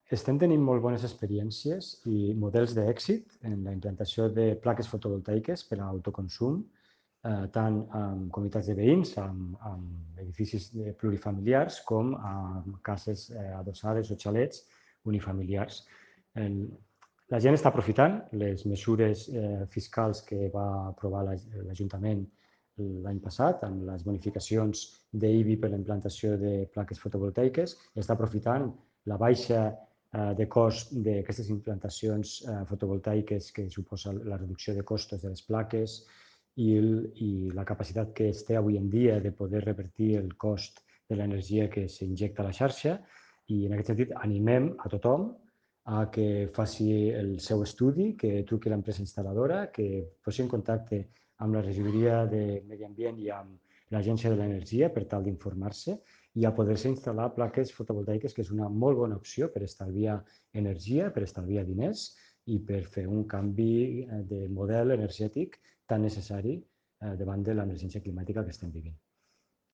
Estem tenint molt bones experiències i models d'èxit en la implantació de plaques fotovoltaiques per a autoconsum, tant en comunitats de veïns, en edificis plurifamiliars, com en cases adossades o xalets unifamiliars. La gent està aprofitant les mesures fiscals que va aprovar l'Ajuntament l'any passat, amb les bonificacions d'IBI per la implantació de plaques fotovoltaiques, i està aprofitant la baixa de cost d'aquestes implantacions fotovoltaiques que suposa la reducció de costos de les plaques i la capacitat que es té avui en dia de poder revertir el cost de l'energia que s'injecta a la xarxa. I en aquest sentit animem a tothom a que faci el seu estudi, que truqui a l'empresa instal·ladora, que posi en contacte amb la regidoria de Medi Ambient i amb l'Agència de l'Energia per tal d'informar-se i a poder-se instal·lar plaques fotovoltaiques, que és una molt bona opció per estalviar energia, per estalviar diners i per fer un canvi de model energètic tan necessari davant de l'emergència climàtica que estem vivint.